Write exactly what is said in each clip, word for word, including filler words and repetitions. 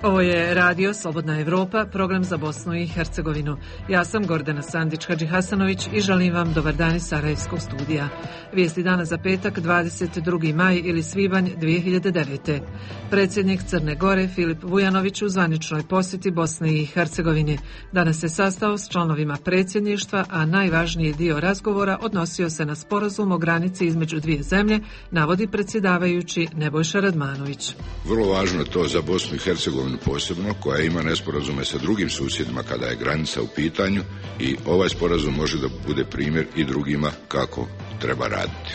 Ovo je Radio Slobodna Evropa, program za Bosnu i Hercegovinu. Ja sam Gordana Sandić-Hadžihasanović i želim vam dobar dan iz Sarajevskog studija. Vijesti dana za petak, dvadeset drugi maj ili svibanj dvije hiljade devete. Predsjednik Crne Gore Filip Vujanović u zvaničnoj posjeti Bosne i Hercegovine. Danas se sastao s članovima predsjedništva, a najvažniji dio razgovora odnosio se na sporazum o granici između dvije zemlje, navodi predsjedavajući Nebojša Radmanović. Vrlo važno je to za Bosnu i Hercegovinu posebno, koja ima nesporazume sa drugim susjedima kada je granica u pitanju, i ovaj sporazum može da bude primjer i drugima kako treba raditi.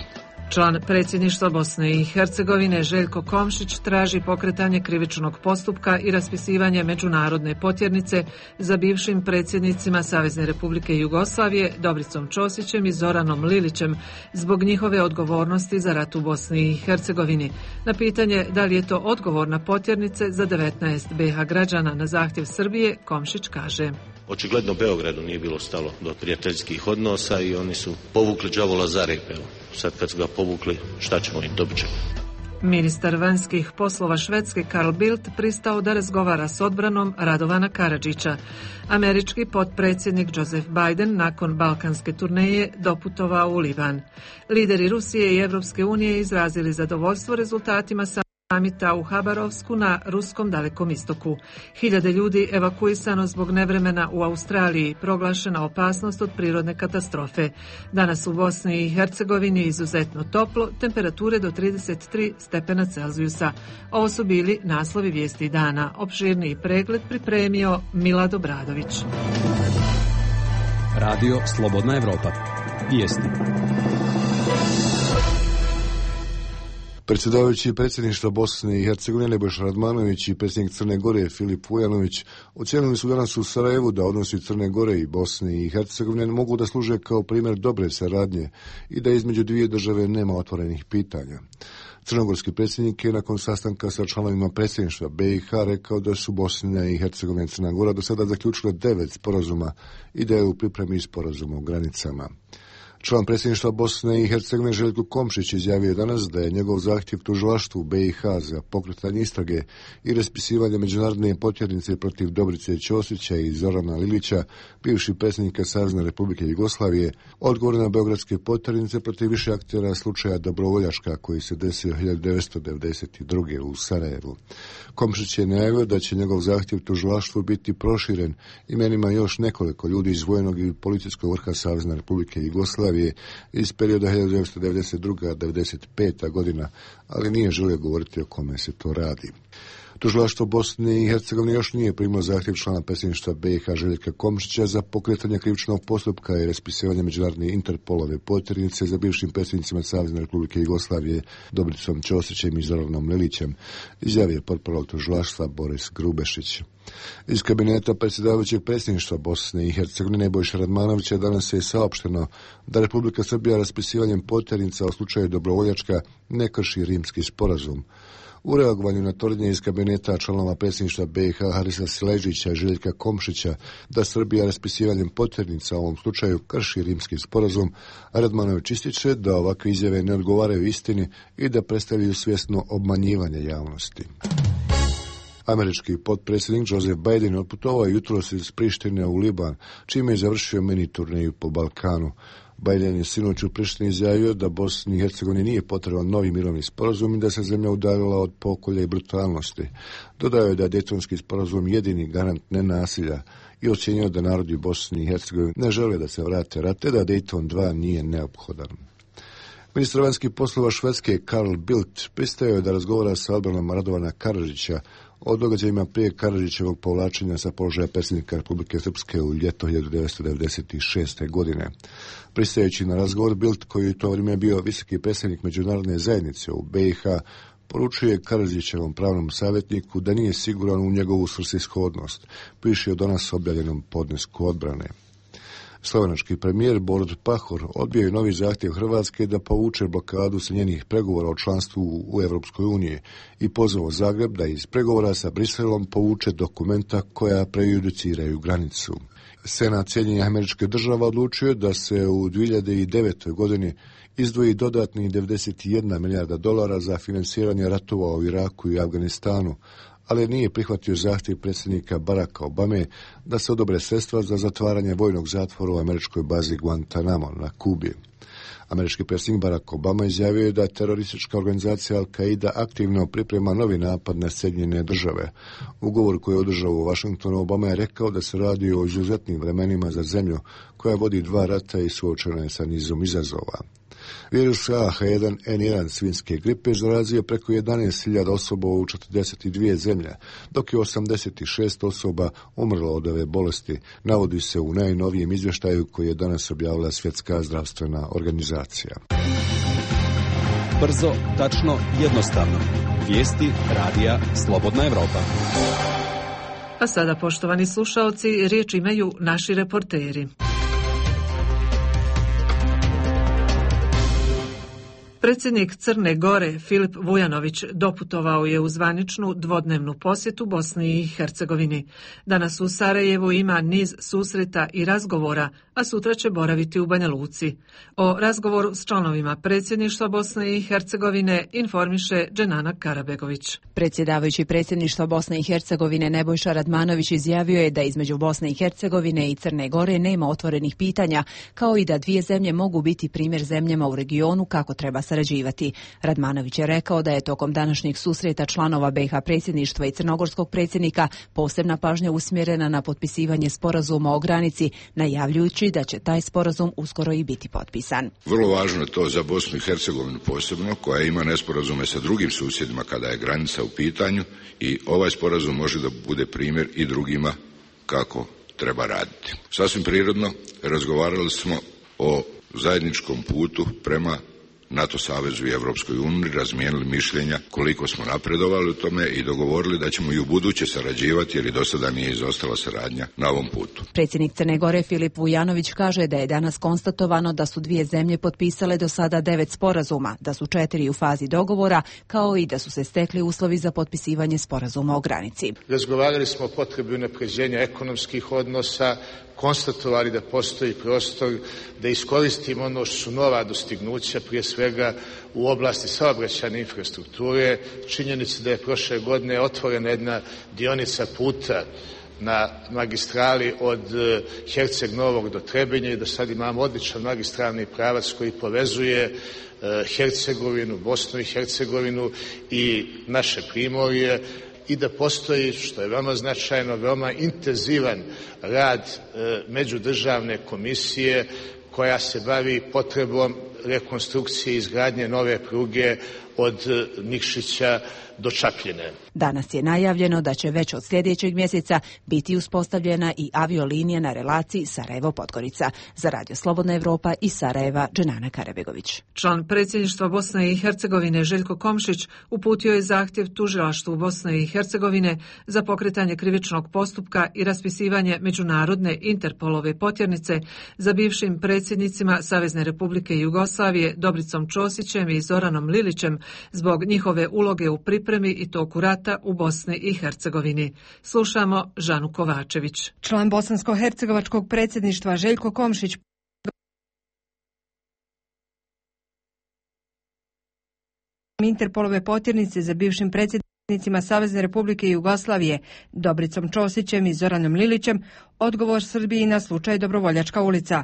Član predsjedništva Bosne i Hercegovine Željko Komšić traži pokretanje krivičnog postupka i raspisivanje međunarodne potjernice za bivšim predsjednicima Savezne Republike Jugoslavije Dobricom Ćosićem i Zoranom Lilićem zbog njihove odgovornosti za rat u Bosni i Hercegovini. Na pitanje da li je to odgovorna potjernice za devetnaest be ha građana na zahtjev Srbije, Komšić kaže: Očigledno Beogradu nije bilo stalo do prijateljskih odnosa i oni su povukli đavola za rep. Sad kad su ga povukli, šta ćemo im, dobit ćemo. Ministar vanjskih poslova Švedske Carl Bildt pristao da razgovara s odbranom Radovana Karadžića. Američki potpredsjednik Joseph Biden nakon balkanske turneje doputovao u Liban. Lideri Rusije i Evropske unije izrazili zadovoljstvo rezultatima samita u Habarovsku na ruskom Dalekom istoku. Hiljade ljudi evakuisano zbog nevremena u Australiji, proglašena opasnost od prirodne katastrofe. Danas u Bosni i Hercegovini izuzetno toplo, temperature do trideset tri stepena Celzijusa. Ovo su bili naslovi vijesti dana. Opširniji pregled pripremio Milad Obradović. Radio Slobodna Evropa. Vijesti. Predsjedavajući predsjedništva Bosne i Hercegovine Nebojša Radmanović i predsjednik Crne Gore Filip Vujanović ocijenili su danas u Sarajevu da odnosi Crne Gore i Bosne i Hercegovine mogu da služe kao primjer dobre saradnje i da između dvije države nema otvorenih pitanja. Crnogorski predsjednik je nakon sastanka sa članovima predsjedništva be i ha rekao da su Bosna i Hercegovina i Crna Gora do sada zaključile devet sporazuma i da je u pripremi sporazuma o granicama. Član predsjedništva Bosne i Hercegovine Željko Komšić izjavio danas da je njegov zahtjev tužilaštvu be i ha za pokretanje istrage i raspisivanje međunarodne potjernice protiv Dobrice Ćosića i Zorana Lilića, bivših predsjednika Savezne Republike Jugoslavije, odgovor na beogradske potjernice protiv više aktera slučaja Dobrovoljaška koji se desio hiljadu devetsto devedeset druge u Sarajevu. Komšić je najavio da će njegov zahtjev tužilaštvu biti proširen imenima još nekoliko ljudi iz vojnog i policijskog vrha Savezne Republike Jugoslavije iz perioda hiljadu devetsto devedeset druga do devedeset peta godina, ali nije želio govoriti o kome se to radi. Tužilaštvo Bosne i Hercegovine još nije primilo zahtjev člana predsjedništva be i ha Željka Komšića za pokretanje krivičnog postupka i raspisivanje međunarodne Interpolove potjernice za bivšim predsjednicima Savezne Republike Jugoslavije Dobricom Ćosićem i Zoranom Lilićem, izjavio portparol tužilaštva Boris Grubešić. Iz kabineta predsjedavajućeg predsjedništva Bosne i Hercegovine Nebojša Radmanovića danas je saopšteno da Republika Srbija raspisivanjem potjernica u slučaju Dobrovoljačka ne krši Rimski sporazum. U reagovanju na tvrdnje iz kabineta članova predsjedništva be i ha Harisa Sileđića i Željka Komšića da Srbija raspisivanjem potjernica u ovom slučaju krši Rimski sporazum, Radmanović ističe da ovakve izjave ne odgovaraju istini i da predstavljaju svjesno obmanjivanje javnosti. Američki potpredsjednik Joseph Biden otputovao jutros iz Prištine u Liban, čime je završio mini turneju po Balkanu. Biden je sinoć u Prištini izjavio da Bosni i Hercegovini nije potreban novi mirovni sporazum i da se zemlja udaljila od pokolja i brutalnosti. Dodao je da je Dejtonski sporazum jedini garant nenasilja i ocjenio da narodi Bosni i Hercegovine ne žele da se vrate rat, te da Dejton dva nije neophodan. Ministar vanjskih poslova Švedske Carl Bildt pristao je da razgovara sa odbranom Radovana Karadžića o događajima prije Karadžićevog povlačenja sa položaja predsjednika Republike Srpske u ljeto hiljadu devetsto devedeset šeste godine. Pristajući na razgovor, Bildt, koji u to vrijeme bio visoki predsjednik međunarodne zajednice u be i ha, poručuje Karadžićevom pravnom savjetniku da nije siguran u njegovu svrsishodnost, piše o danas objavljenom podnesku odbrane. Slovenački premijer Borut Pahor odbio je novi zahtjev Hrvatske da povuče blokadu sa njenih pregovora o članstvu u Evropskoj uniji i pozvao Zagreb da iz pregovora sa Briselom povuče dokumenta koja prejudiciraju granicu. Senat Sjedinjenih Američkih Država odlučio da se u dvije hiljade devetoj godini izdvoji dodatnih devedeset jedna milijarda dolara za financiranje ratova u Iraku i Afganistanu, ali nije prihvatio zahtjev predsjednika Baracka Obame da se odobre sredstva za zatvaranje vojnog zatvora u američkoj bazi Guantanamo na Kubi. Američki predsjednik Barack Obama izjavio je da teroristička organizacija Al-Qaida aktivno priprema novi napad na Sjedinjene države. Ugovor koji je održao u Washingtonu, Obama je rekao da se radi o izuzetnim vremenima za zemlju koja vodi dva rata i suočena je sa nizom izazova. Virus A H jedan N jedan svinjske gripe zarazio preko jedanaest hiljada osoba u četrdeset dvije zemlje, dok je osamdeset šest osoba umrlo od ove bolesti, navodi se u najnovijem izvještaju koji je danas objavila Svjetska zdravstvena organizacija. Brzo, tačno, jednostavno. Vijesti radija Slobodna Evropa. A sada, poštovani slušaoci, riječ imaju naši reporteri. Predsjednik Crne Gore Filip Vujanović doputovao je u zvaničnu dvodnevnu posjetu Bosni i Hercegovini. Danas u Sarajevu ima niz susreta i razgovora, a sutra će boraviti u Banja Luci. O razgovoru s članovima predsjedništva Bosne i Hercegovine informiše Dženana Karabegović. Predsjedavajući predsjedništva Bosne i Hercegovine Nebojša Radmanović izjavio je da između Bosne i Hercegovine i Crne Gore nema otvorenih pitanja, kao i da dvije zemlje mogu biti primjer zemljama u regionu kako treba sarađivati. Radmanović je rekao da je tokom današnjeg susreta članova B i H predsjedništva i crnogorskog predsjednika posebna pažnja usmjerena na potpisivanje sporazuma o granici, najavljujući da će taj sporazum uskoro i biti potpisan. Vrlo važno je to za Bosnu i Hercegovinu posebno, koja ima nesporazume sa drugim susjedima kada je granica u pitanju, i ovaj sporazum može da bude primjer i drugima kako treba raditi. Sasvim prirodno razgovarali smo o zajedničkom putu prema NATO savezu i Europskoj uniji, razmijenili mišljenja koliko smo napredovali u tome i dogovorili da ćemo i u buduće sarađivati, jer i do sada nije izostala saradnja na ovom putu. Predsjednik Crne Gore Filip Vujanović kaže da je danas konstatovano da su dvije zemlje potpisale do sada devet sporazuma, da su četiri u fazi dogovora, kao i da su se stekli uslovi za potpisivanje sporazuma o granici. Razgovarali smo o potrebi unapređenja ekonomskih odnosa, konstatovali da postoji prostor da iskoristimo ono što su nova dostignuća, prije svega u oblasti saobraćajne infrastrukture. Činjenica da je prošle godine otvorena jedna dionica puta na magistrali od Herceg Novog do Trebinja i da sad imamo odličan magistralni pravac koji povezuje Hercegovinu, Bosnu i Hercegovinu i naše primorje, i da postoji, što je veoma značajno, veoma intenzivan rad e, međudržavne komisije koja se bavi potrebom rekonstrukcije i izgradnje nove pruge od Nikšića do Čapljine. Danas je najavljeno da će već od sljedećeg mjeseca biti uspostavljena i aviolinija na relaciji Sarajevo-Podgorica. Za Radio Slobodna Evropa iz Sarajeva, Dženana Karabegović. Član predsjedništva Bosne i Hercegovine Željko Komšić uputio je zahtjev tužilaštvu Bosne i Hercegovine za pokretanje krivičnog postupka i raspisivanje međunarodne Interpolove potjernice za bivšim predsjednicima Savezne Republike Jugoslavije Dobricom Ćosićem i Zoranom Lilićem zbog njihove uloge u pripremi i toku rata u Bosni i Hercegovini. Slušamo Žanu Kovačević. Član bosansko-hercegovačkog predsjedništva Željko Komšić Interpolove potjernice za bivšim predsjednicima Savezne Republike Jugoslavije Dobricom Ćosićem i Zoranom Lilićem odgovor Srbiji na slučaj Dobrovoljačka ulica,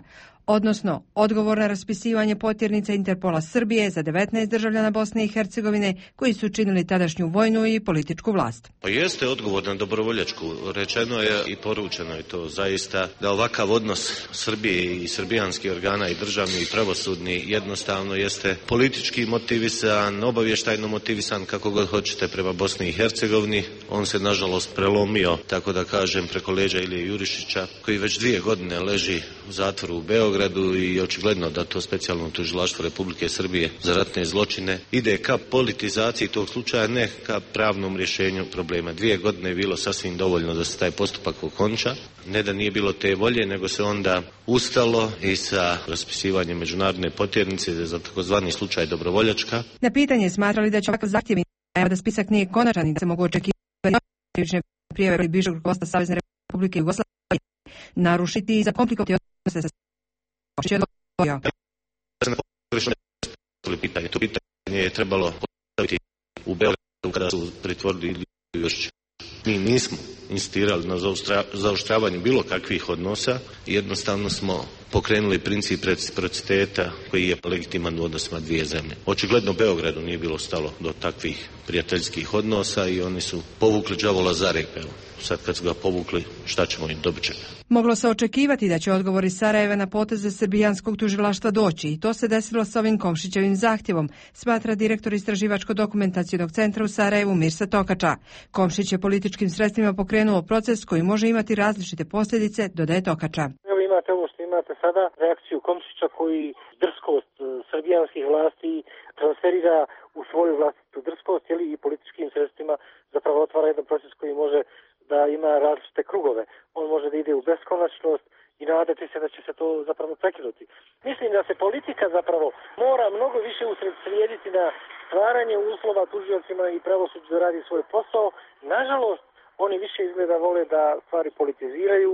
odnosno odgovor na raspisivanje potjernica Interpola Srbije za devetnaest državljana Bosne i Hercegovine koji su činili tadašnju vojnu i političku vlast. Pa jeste odgovor na Dobrovoljačku. Rečeno je i poručeno je to zaista da ovakav odnos Srbije i srbijanskih organa i državni i pravosudni jednostavno jeste politički motivisan, obavještajno motivisan, kako god hoćete, prema Bosni i Hercegovini. On se nažalost prelomio, tako da kažem, preko leđa Ilije Jurišića, koji već dvije godine leži u zatvoru u Beogradu, i očigledno da to specijalno tužilaštvo Republike Srbije za ratne zločine ide ka politizaciji tog slučaja, ne ka pravnom rješenju problema. Dvije godine je bilo sasvim dovoljno da se taj postupak okonča. Ne da nije bilo te volje, nego se onda ustalo i sa raspisivanjem međunarodne potjernice za takozvani slučaj Dobrovoljačka. Na pitanje smatrali da će ovakav zahtjev da spisak nije konačan i da se mogu očekivati krivične prijave bivšeg rukovodstva Savezne Republike Jugoslavije narušiti i zakomplikovati odnose sa pitanje. To pitanje je trebalo postaviti u Beogradu kada su pritvorili Jurišića. Mi nismo insistirali na zaoštravanju bilo kakvih odnosa, jednostavno smo pokrenuli princip reciprociteta koji je legitiman u odnosima dvije zemlje. Očigledno Beogradu nije bilo stalo do takvih prijateljskih odnosa i oni su povukli đavola za rep. Sad kad su ga povukli, šta ćemo im, dobit ćemo. Moglo se očekivati da će odgovor iz Sarajeva na poteze srbijanskog tužilaštva doći i to se desilo s ovim Komšićevim zahtjevom, smatra direktor Istraživačko-dokumentacionog centra u Sarajevu Mirsa Tokača. Komšić je političkim sredstvima pokrenuo proces koji može imati različite posljedice, dodaje Tokača. Evo imate ovo što imate sada, reakciju Komšića koji drskost srbijanskih vlasti transferira u svoju vlastitu drskost i političkim sredstvima zapravo otvara jedan proces koji može da ima različite krugove. On može da ide u beskonačnost i nadati se da će se to zapravo prekinuti. Mislim da se politika zapravo mora mnogo više usredsrediti na stvaranje uslova tužiocima i pravosuđu da radi svoj posao. Nažalost, oni više izgleda vole da stvari politiziraju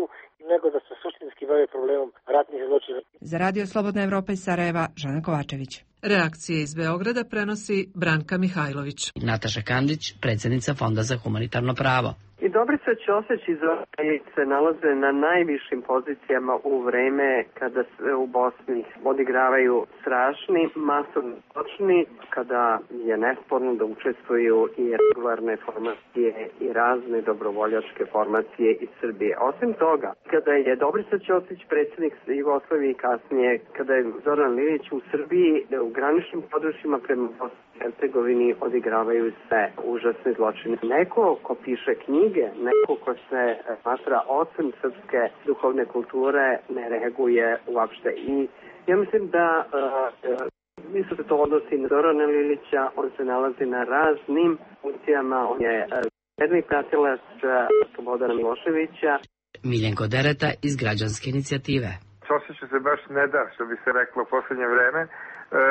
nego da se suštinski bave problemom ratnih zločina. Za Radio Slobodna Evropa iz Sarajeva, Žana Kovačević. Reakcije iz Beograda prenosi Branka Mihajlović. Nataša Kandić, predsjednica Fonda za humanitarno pravo. I Dobrica Ćosić i Zoran Ilić se nalaze na najvišim pozicijama u vreme kada se u Bosni odigravaju strašni masovni zločini, kada je nesporno da učestvuju i regularne formacije i razne dobrovoljačke formacije iz Srbije. Osim toga, kada je Dobrica Ćosić predsjednik Jugoslavije i kasnije, kada je Zoran Ilić u Srbiji, u graničnim područjima prema Bosni i Hercegovini odigravaju se užasne zločine. Neko ko piše knjige, neko ko se smatra ocem srpske duhovne kulture ne reaguje uopšte. I ja mislim da uh, mislim da to odnosi na Zorana Lilića, on se nalazi na raznim funkcijama, on je jedni pratilac Slobodana Miloševića. Miljenko Dereta iz Građanske inicijative. Ćosiću se baš ne da, što bi se reklo u posljednje vreme. E, e,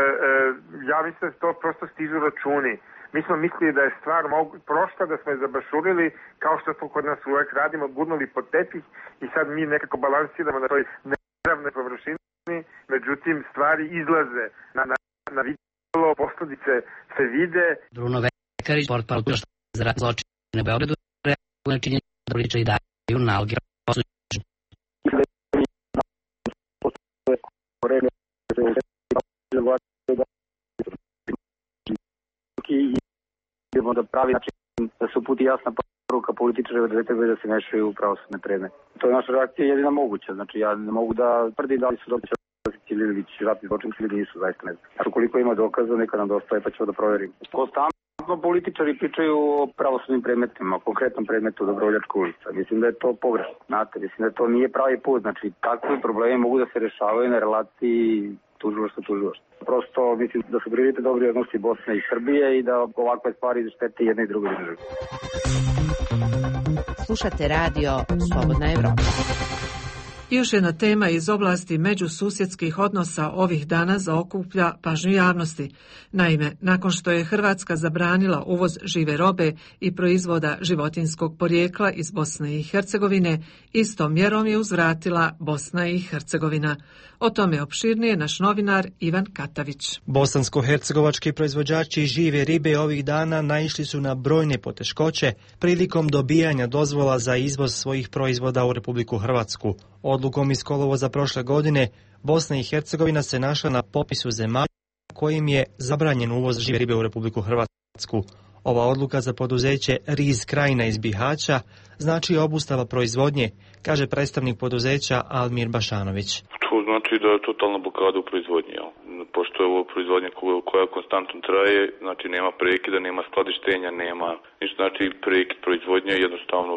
ja mislim da to prosto stižu računi. Mi smo mislili da je stvar mogu, prošla, da smo je zabašurili, kao što to kod nas uvek radimo, gurnuli pod tepih i sad mi nekako balansiramo na toj neravnoj površini, međutim stvari izlaze na, na, na vidjelo, posljedice se vide. Bruno Vekarić, portparol što za ratne zločine u Beogradu, reaguje na činjenje da Liča i daju naloge osuđenja. I idemo da pravi način da se uputi jasna poruka političara da trebaju da se mešaju u pravosudne predmete. To je naša reakcija jedina moguća. Znači ja ne mogu da tvrdim da li su dobri Ćosić ratni zločinci ili nisu, zaista ne znam. Znači ukoliko ima dokaza neka nam dostave pa ćemo da proverimo. Konstantno političari pričaju o pravosudnim predmetima, o konkretnom predmetu Dobrovoljačka ulica. Mislim da je to pogrešno. Znate, mislim da to nije pravi put. Znači takvi problemi mogu da se rešavaju na relaciji tužilaštvo tužilaštvo. Prosto mislim da su prioritet dobri odnosi Bosne i Srbije i da ovakve stvari štete jedne i druge države. Slušate radio Slobodna Evropa. Još jedna tema iz oblasti međususjedskih odnosa ovih dana zaokuplja pažnju javnosti. Naime, nakon što je Hrvatska zabranila uvoz žive robe i proizvoda životinjskog porijekla iz Bosne i Hercegovine, istom mjerom je uzvratila Bosna i Hercegovina. O tome opširnije naš novinar Ivan Katavić. Bosansko-hercegovački proizvođači žive ribe ovih dana naišli su na brojne poteškoće prilikom dobijanja dozvola za izvoz svojih proizvoda u Republiku Hrvatsku. Odlukom iz kolovoza prošle godine Bosna i Hercegovina se našla na popisu zemalja kojim je zabranjen uvoz žive ribe u Republiku Hrvatsku. Ova odluka za poduzeće Riz Krajina iz Bihaća znači obustava proizvodnje, kaže predstavnik poduzeća Almir Bašanović. To znači da je totalna blokada u proizvodnji. Pošto je ovo proizvodnja koja konstantno traje, znači nema prekida, nema skladištenja, nema ništa, znači prekid proizvodnje jednostavno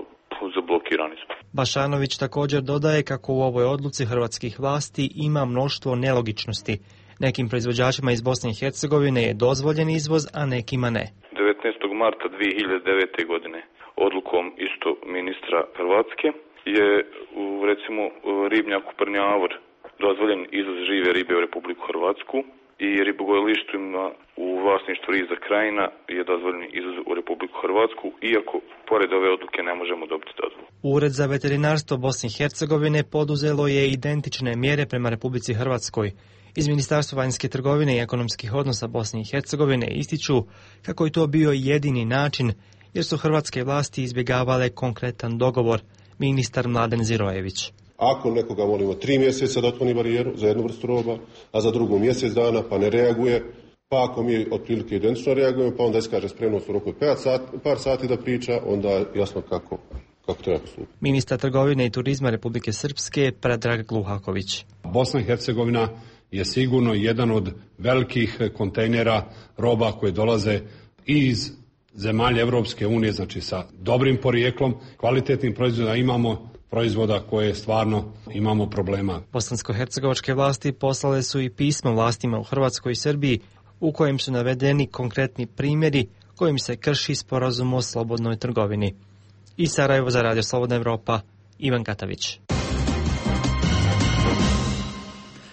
zablokirani smo. Bašanović također dodaje kako u ovoj odluci hrvatskih vlasti ima mnoštvo nelogičnosti. Nekim proizvođačima iz Bosne i Hercegovine je dozvoljen izvoz, a nekima ne. devetnaestog marta dvije hiljade devete. godine odlukom isto ministra Hrvatske je u recimo ribnjaku Prnjavor dozvoljen izvoz žive ribe u Republiku Hrvatsku i ribogojilištima u vlasništvu Riza Krajina je dozvoljen izvoz u Republiku Hrvatsku, iako pored ove odluke ne možemo dobiti dozvolu. Ured za veterinarstvo Bosne i Hercegovine poduzelo je identične mjere prema Republici Hrvatskoj. Iz Ministarstva vanjske trgovine i ekonomskih odnosa Bosne i Hercegovine ističu kako je to bio jedini način, jer su hrvatske vlasti izbjegavale konkretan dogovor, ministar Mladen Zirojević. Ako nekoga volimo tri mjeseca da otkloni barijeru za jednu vrstu roba, a za drugu mjesec dana pa ne reaguje, pa ako mi otprilike identično reagujemo, pa onda iskaže spremnost u roku od par sati, par sati da priča, onda jasno kako, kako treba postupiti. Ministar trgovine i turizma Republike Srpske Predrag Gluhaković. Bosna i Hercegovina je sigurno jedan od velikih kontejnera roba koje dolaze iz zemalja Evropske unije, znači sa dobrim porijeklom, kvalitetnim proizvodima. Imamo proizvoda koje stvarno imamo problema. Bosansko-hercegovačke vlasti poslale su i pismo vlastima u Hrvatskoj i Srbiji u kojem su navedeni konkretni primjeri kojim se krši sporazum o slobodnoj trgovini. Iz Sarajeva za Radio Slobodna Evropa, Ivan Katavić.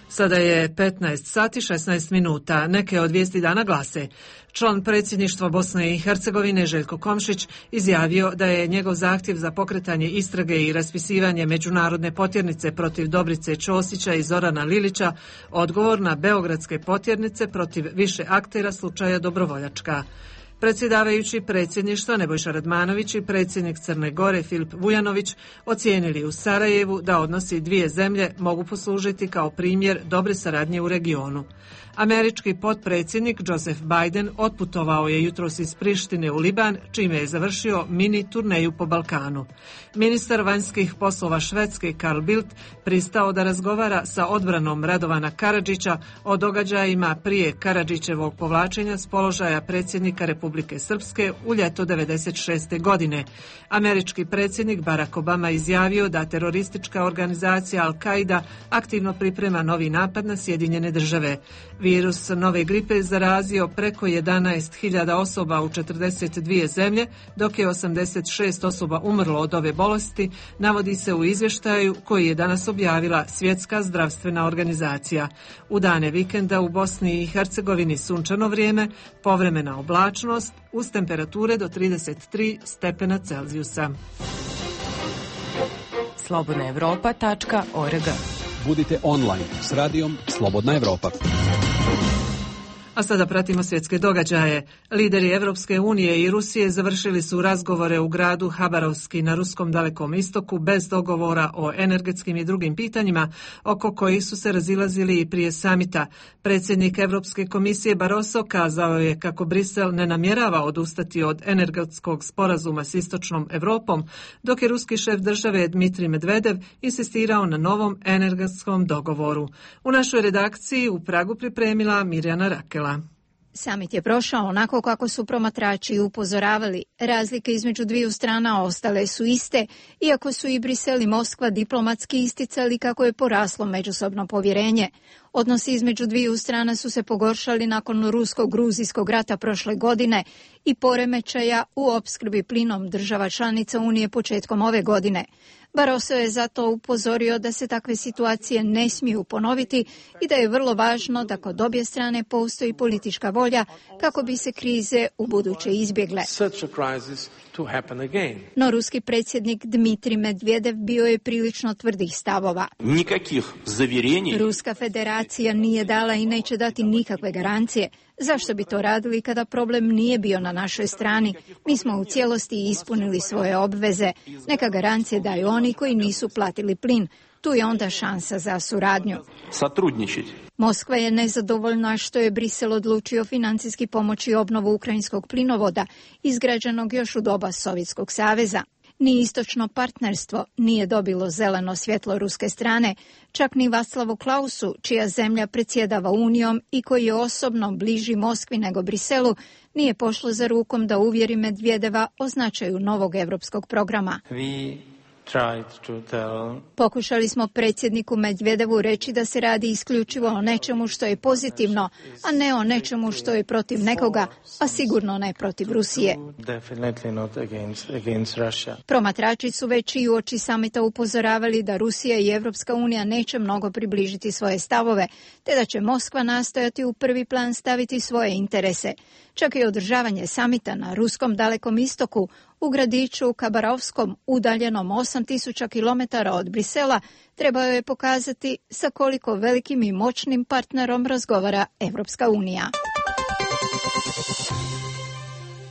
Sada je petnaest sati šesnaest minuta. Neke od vijesti dana glase. Član predsjedništva Bosne i Hercegovine Željko Komšić izjavio da je njegov zahtjev za pokretanje istrage i raspisivanje međunarodne potjernice protiv Dobrice Ćosića i Zorana Lilića odgovor na beogradske potjernice protiv više aktera slučaja Dobrovoljačka. Predsjedavajući predsjedništva Nebojša Radmanović i predsjednik Crne Gore Filip Vujanović ocijenili u Sarajevu da odnosi dvije zemlje mogu poslužiti kao primjer dobre saradnje u regionu. Američki potpredsjednik Joseph Biden otputovao je jutros iz Prištine u Liban, čime je završio mini turneju po Balkanu. Ministar vanjskih poslova Švedske Carl Bildt pristao da razgovara sa odbranom Radovana Karadžića o događajima prije Karadžićevog povlačenja s položaja predsjednika Republike Srpske u ljeto devedeset šeste. godine. Američki predsjednik Barack Obama izjavio da teroristička organizacija Al-Qaida aktivno priprema novi napad na Sjedinjene države. Virus nove gripe zarazio preko jedanaest hiljada osoba u četrdeset dvije zemlje, dok je osamdeset šest osoba umrlo od ove bolesti, navodi se u izvještaju koji je danas objavila Svjetska zdravstvena organizacija. U dane vikenda u Bosni i Hercegovini sunčano vrijeme, povremena oblačnost uz temperature do trideset tri stepena Celzijusa. slobodna evropa tačka org. Budite online s radijom Slobodna Evropa. A sada pratimo svjetske događaje. Lideri Evropske unije i Rusije završili su razgovore u gradu Habarovski na ruskom Dalekom istoku bez dogovora o energetskim i drugim pitanjima oko kojih su se razilazili i prije samita. Predsjednik Evropske komisije Barroso kazao je kako Brisel ne namjerava odustati od energetskog sporazuma s istočnom Europom, dok je ruski šef države Dmitrij Medvedev insistirao na novom energetskom dogovoru. U našoj redakciji u Pragu pripremila Mirjana Rakel. Samit je prošao onako kako su promatrači upozoravali. Razlike između dviju strana ostale su iste, iako su i Brisel i Moskva diplomatski isticali kako je poraslo međusobno povjerenje. Odnosi između dviju strana su se pogoršali nakon rusko-gruzijskog rata prošle godine i poremećaja u opskrbi plinom država članica Unije početkom ove godine. Barroso je zato upozorio da se takve situacije ne smiju ponoviti i da je vrlo važno da kod obje strane postoji politička volja kako bi se krize u buduće izbjegle. No ruski predsjednik Dmitrij Medvedev bio je prilično tvrdih stavova. Ruska federacija nije dala i neće dati nikakve garancije. Zašto bi to radili kada problem nije bio na našoj strani? Mi smo u cijelosti ispunili svoje obveze. Neka garancije daju oni koji nisu platili plin. Tu je onda šansa za suradnju. Moskva je nezadovoljna što je Brisel odlučio financijski pomoći obnovu ukrajinskog plinovoda, izgrađenog još u doba Sovjetskog saveza. Ni istočno partnerstvo nije dobilo zeleno svjetlo ruske strane, čak ni Václavu Klausu, čija zemlja predsjedava Unijom i koji je osobno bliži Moskvi nego Briselu, nije pošlo za rukom da uvjeri Medvedeva o značaju novog europskog programa. Pokušali smo predsjedniku Medvedevu reći da se radi isključivo o nečemu što je pozitivno, a ne o nečemu što je protiv nekoga, a sigurno ne protiv Rusije. Promatrači su već i uoči samita upozoravali da Rusija i Evropska unija neće mnogo približiti svoje stavove, te da će Moskva nastojati u prvi plan staviti svoje interese. Čak i održavanje samita na ruskom Dalekom istoku u gradiću Kabarovskom, udaljenom osam tisuća kilometara od Brisela, trebao je pokazati sa koliko velikim i moćnim partnerom razgovara Evropska unija.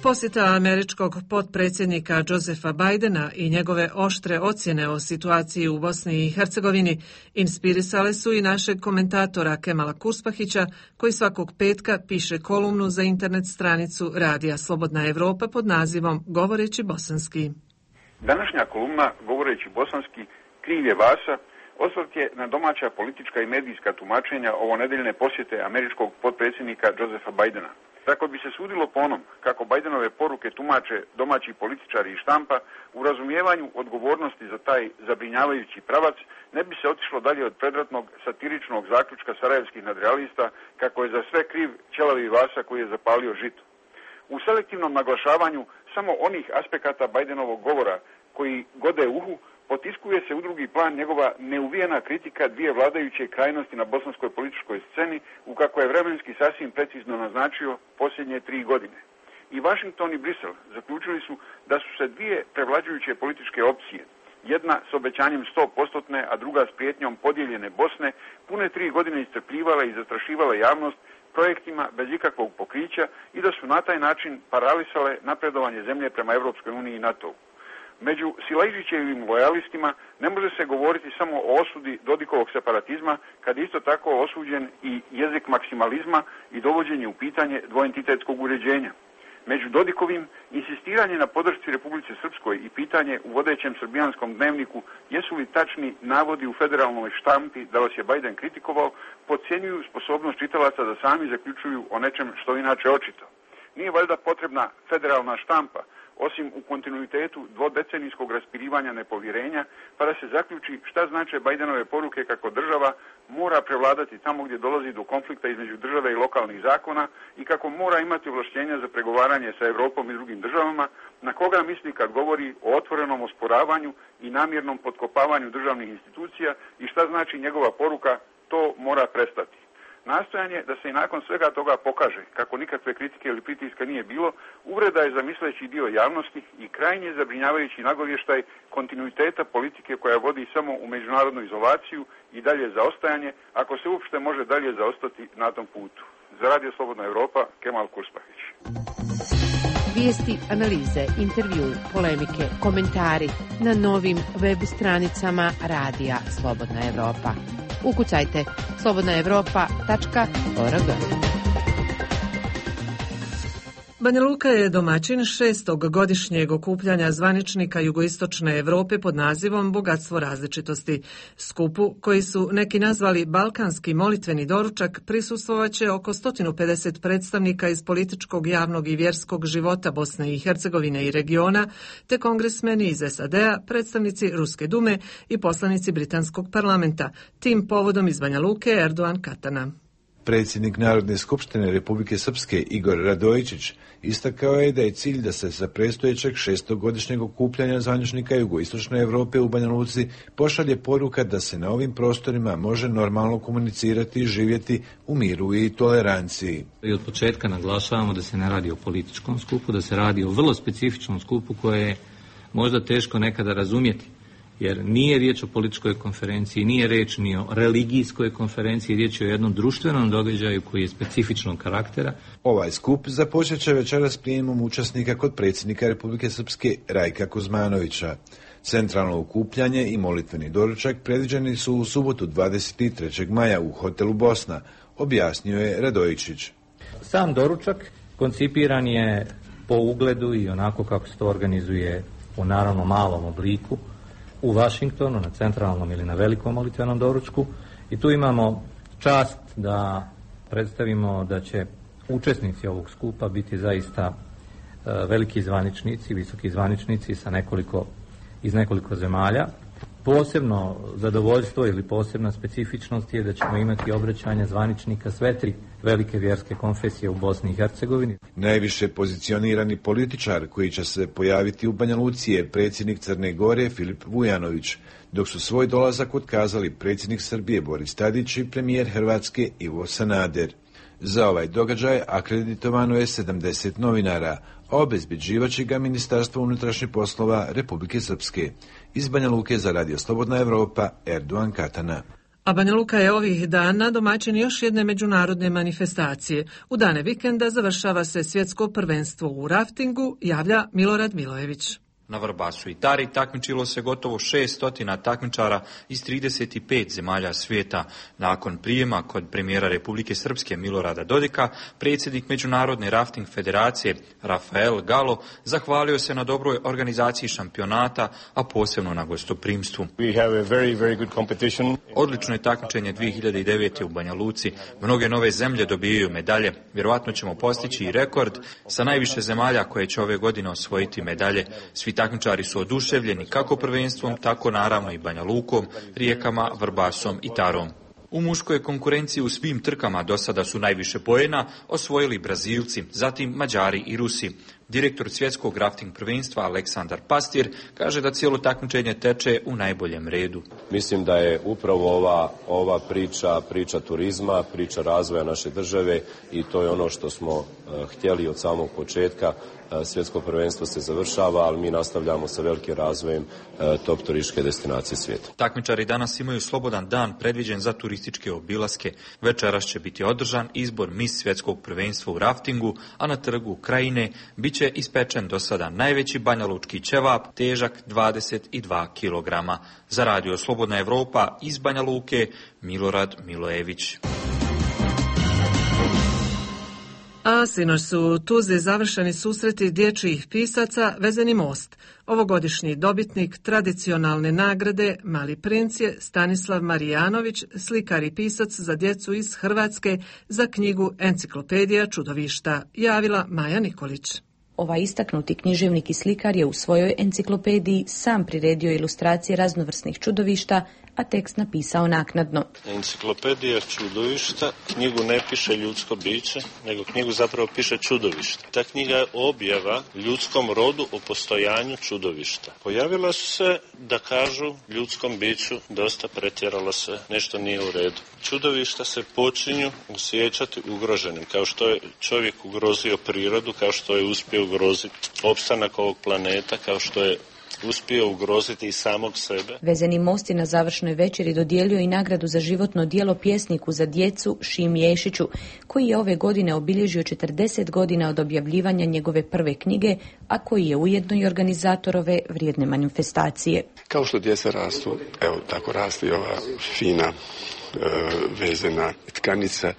Posjeta američkog potpredsjednika Josefa Bidena i njegove oštre ocjene o situaciji u Bosni i Hercegovini inspirisale su i našeg komentatora Kemala Kurspahića, koji svakog petka piše kolumnu za internet stranicu Radija Slobodna Evropa pod nazivom Govoreći bosanski. Današnja kolumna Govoreći bosanski kriv je Vasa osvrt je na domaća politička i medijska tumačenja ovonedeljne posjete američkog potpredsjednika Josefa Bidena. Tako bi se sudilo po onom kako Bidenove poruke tumače domaći političari i štampa, u razumijevanju odgovornosti za taj zabrinjavajući pravac ne bi se otišlo dalje od predratnog satiričnog zaključka sarajevskih nadrealista kako je za sve kriv ćelavi Vasa koji je zapalio žito. U selektivnom naglašavanju samo onih aspekata Bidenovog govora koji gode uhu, potiskuje se u drugi plan njegova neuvijena kritika dvije vladajuće krajnosti na bosanskoj političkoj sceni, u kako je vremenski sasvim precizno naznačio posljednje tri godine. I Washington i Brisel zaključili su da su se dvije prevlađujuće političke opcije, jedna s obećanjem sto posto, a druga s prijetnjom podijeljene Bosne, pune tri godine iscrpljivale i zastrašivale javnost projektima bez ikakvog pokrića i da su na taj način paralisale napredovanje zemlje prema Europskoj uniji i NATO-u. Među Silajđićevim lojalistima ne može se govoriti samo o osudi Dodikovog separatizma, kad je isto tako osuđen i jezik maksimalizma i dovođenje u pitanje dvoentitetskog uređenja. Među Dodikovim insistiranje na podršci Republici Srpskoj i pitanje u vodećem srbijanskom dnevniku jesu li tačni navodi u federalnoj štampi da vas je Biden kritikovao, podcjenjuju sposobnost čitalaca da sami zaključuju o nečem što inače očito. Nije valjda potrebna federalna štampa, osim u kontinuitetu dvodecenijskog raspirivanja nepovjerenja, pa da se zaključi šta znače Bidenove poruke kako država mora prevladati tamo gdje dolazi do konflikta između države i lokalnih zakona i kako mora imati ovlaštenja za pregovaranje sa Europom i drugim državama, na koga misli kad govori o otvorenom osporavanju i namjernom potkopavanju državnih institucija i šta znači njegova poruka, to mora prestati. Nastojanje da se i nakon svega toga pokaže kako nikakve kritike ili pritiska nije bilo, uvreda je za misleći dio javnosti i krajnje zabrinjavajući nagovještaj kontinuiteta politike koja vodi samo u međunarodnu izolaciju i dalje zaostajanje, ako se uopšte može dalje zaostati na tom putu. Za Radio Slobodna Evropa, Kemal Kurspahić. Vijesti, analize, intervju, polemike, komentari na novim web stranicama Radija Slobodna Evropa. Ukucajte slobodna evropa tačka org. Banja Luka je domaćin šestog godišnjeg okupljanja zvaničnika jugoistočne Evrope pod nazivom Bogatstvo različitosti. Skupu, koji su neki nazvali Balkanski molitveni doručak, prisustvovaće oko sto pedeset predstavnika iz političkog, javnog i vjerskog života Bosne i Hercegovine i regiona, te kongresmeni iz es a de a, predstavnici Ruske dume i poslanici Britanskog parlamenta. Tim povodom iz Banja Luke Erdogan Katana. Predsjednik Narodne skupštine Republike Srpske Igor Radojičić istakao je da je cilj da se sa predstojećeg šestogodišnjeg okupljanja zvaničnika jugoistočne Europe u Banja Luci pošalje poruka da se na ovim prostorima može normalno komunicirati i živjeti u miru i toleranciji. I od početka naglašavamo da se ne radi o političkom skupu, da se radi o vrlo specifičnom skupu koje je možda teško nekada razumjeti. Jer nije riječ o političkoj konferenciji, nije riječ ni o religijskoj konferenciji, riječ je o jednom društvenom događaju koji je specifičnog karaktera. Ovaj skup započet će večeras prijemom učesnika kod predsjednika Republike Srpske Rajka Kuzmanovića. Centralno okupljanje i molitveni doručak predviđeni su u subotu dvadeset trećeg maja u hotelu Bosna, objasnio je Radojičić. Sam doručak koncipiran je po ugledu i onako kako se to organizuje u naravno malom obliku u Washingtonu, na centralnom ili na velikom molitvenom doručku, i tu imamo čast da predstavimo da će učesnici ovog skupa biti zaista uh, veliki zvaničnici, visoki zvaničnici sa nekoliko, iz nekoliko zemalja. Posebno zadovoljstvo ili posebna specifičnost je da ćemo imati obraćanje zvaničnika sve tri velike vjerske konfesije u Bosni i Hercegovini. Najviše pozicionirani političar koji će se pojaviti u Banja Luci je predsjednik Crne Gore Filip Vujanović, dok su svoj dolazak otkazali predsjednik Srbije Boris Tadić i premijer Hrvatske Ivo Sanader. Za ovaj događaj akreditovano je sedamdeset novinara, a obezbeđivaće ga Ministarstvo unutrašnjih poslova Republike Srpske. Iz Banja Luke za Radio Slobodna Evropa, Erdogan Katana. A Banja Luka je ovih dana domaćin još jedne međunarodne manifestacije. U dane vikenda završava se svjetsko prvenstvo u raftingu, javlja Milorad Milojević. Na Vrbasu i Tari takmičilo se gotovo šest stotina takmičara iz trideset pet zemalja svijeta. Nakon prijema kod premijera Republike Srpske Milorada Dodika, predsjednik Međunarodne rafting federacije Rafael Galo zahvalio se na dobroj organizaciji šampionata, a posebno na gostoprimstvu. Very, very Odlično je takmičenje dvije hiljade devete. u Banja Luci. Mnoge nove zemlje dobijaju medalje. Vjerovatno ćemo postići i rekord sa najviše zemalja koje će ove godine osvojiti medalje. Svi takmičari su oduševljeni kako prvenstvom, tako naravno i Banja Lukom, Rijekama, Vrbasom i Tarom. U muškoj konkurenciji u svim trkama do sada su najviše poena osvojili Brazilci, zatim Mađari i Rusi. Direktor svjetskog rafting prvenstva Aleksandar Pastir kaže da cijelo takmičenje teče u najboljem redu. Mislim da je upravo ova, ova priča, priča turizma, priča razvoja naše države i to je ono što smo uh, htjeli od samog početka. Uh, svjetsko prvenstvo se završava, ali mi nastavljamo sa velikim razvojem uh, top turističke destinacije svijeta. Takmičari danas imaju slobodan dan predviđen za turističke obilaske. Večeras će biti održan izbor mis svjetskog prvenstva u raftingu, a na trgu Krajine bit će ispečen do sada najveći banjalučki ćevap, težak dvadeset dva kilograma. Za radio Slobodna Evropa iz Banja Luke, Milorad Milojević. A sinoć su u Tuzli završeni susreti dječjih pisaca Vezeni most. Ovogodišnji dobitnik tradicionalne nagrade Mali princ je Stanislav Marijanović, slikar i pisac za djecu iz Hrvatske za knjigu Enciklopedija čudovišta, javila Maja Nikolić. Ovaj istaknuti književnik i slikar je u svojoj enciklopediji sam priredio ilustracije raznovrsnih čudovišta, a tekst napisao naknadno. Enciklopedija čudovišta knjigu ne piše ljudsko biće, nego knjigu zapravo piše čudovišta. Ta knjiga je objava ljudskom rodu o postojanju čudovišta. Pojavila su se da kažu ljudskom biću dosta pretjeralo se, nešto nije u redu. Čudovišta se počinju osjećati ugroženim, kao što je čovjek ugrozio prirodu, kao što je uspio ugroziti opstanak ovog planeta, kao što je uspio ugroziti i samog sebe. Vezeni most je na završnoj večeri dodijelio i nagradu za životno djelo pjesniku za djecu Šimi Ješiću, koji je ove godine obilježio četrdeset godina od objavljivanja njegove prve knjige, a koji je ujedno i organizator ove vrijedne manifestacije. Kao što djeca rastu, evo tako raste ova fina vezena tkanica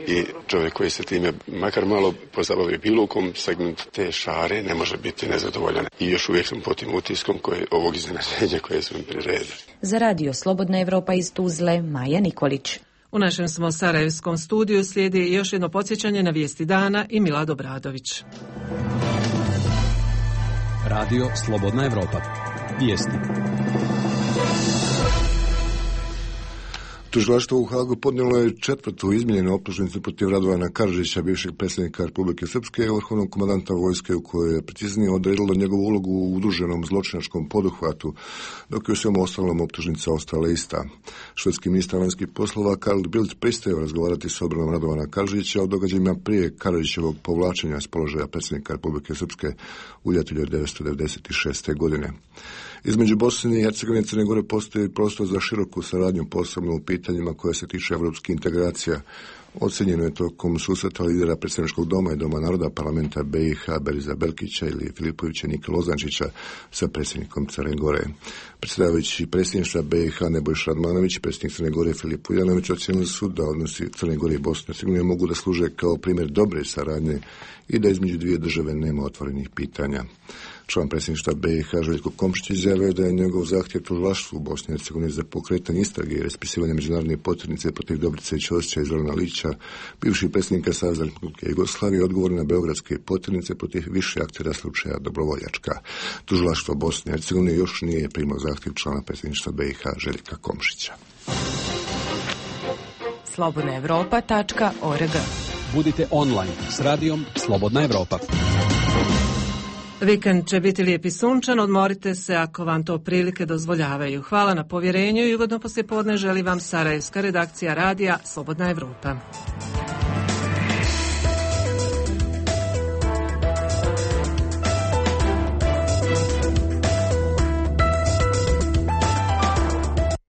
i čovjek koji se time makar malo pozabavi bilo u kom segmentu te šare ne može biti nezadovoljan. I još uvijek sam pod tim utiskom koje, ovog iznenađenja koje su mi priredili. Za radio Slobodna Evropa iz Tuzle, Maja Nikolić. U našem smo sarajevskom studiju slijedi još jedno podsjećanje na vijesti dana i Milad Obradović. Radio Slobodna Evropa. Vijesti. Tužilaštvo u Hagu podnijelo je četvrtu izmijenjenu optužnicu protiv Radovana Karadžića, bivšeg predsjednika Republike Srpske i vrhovnog komandanta vojske, u kojoj je preciznije odredilo njegovu ulogu u udruženom zločinačkom poduhvatu, dok je u svemu ostalom optužnica ostala ista. Švedski ministar vanjskih poslova Carl Bildt pristajao razgovarati s obranom Radovana Karadžića o događajima prije Karadžićevog povlačenja s položaja predsjednika Republike Srpske u ljetu devetnaeste devedeset šeste. godine. Između Bosne i Hercegovine i Crne Gore postoji prostor za široku saradnju, posebno u pitanjima koje se tiče evropskih integracija. Ocenjeno je tokom susreta lidera predsjedničkog doma i Doma naroda parlamenta B i H Beriza Belkića ili Filipovića Nike Lozančića sa predsjednikom Crne Gore. Predsjedavajući predsjedništva B i H Nebojša Radmanović i predsjednik Crne Gore Filip Vujanović ocijenili su da odnosi Crne Gore i Bosne i Hercegovine mogu da služe kao primjer dobre saradnje i da između dvije države nema otvorenih pitanja. Član predsjedništva B i H Željko Komšić izjavio da je njegov zahtjev tužilaštvu u Bosni i Hercegovini za pokretanje istrage i raspisivanje međunarodne potjernice protiv Dobrice Ćosića i Zorana Lića, bivših predsjednika Saveza Republike Jugoslavije, odgovor na beogradske potjernice protiv više aktera slučaja Dobrovoljačka. Tužilaštvo Bosne i Hercegovine još nije primilo zahtjev člana predsjedništva B i H Željka Komšića. slobodna evropa tačka org. Budite online s radijom Slobodna Evropa. Vikend će biti lijep i sunčan, odmorite se ako vam to prilike dozvoljavaju. Hvala na povjerenju i ugodno poslijepodne želi vam sarajevska redakcija radija Slobodna Evropa.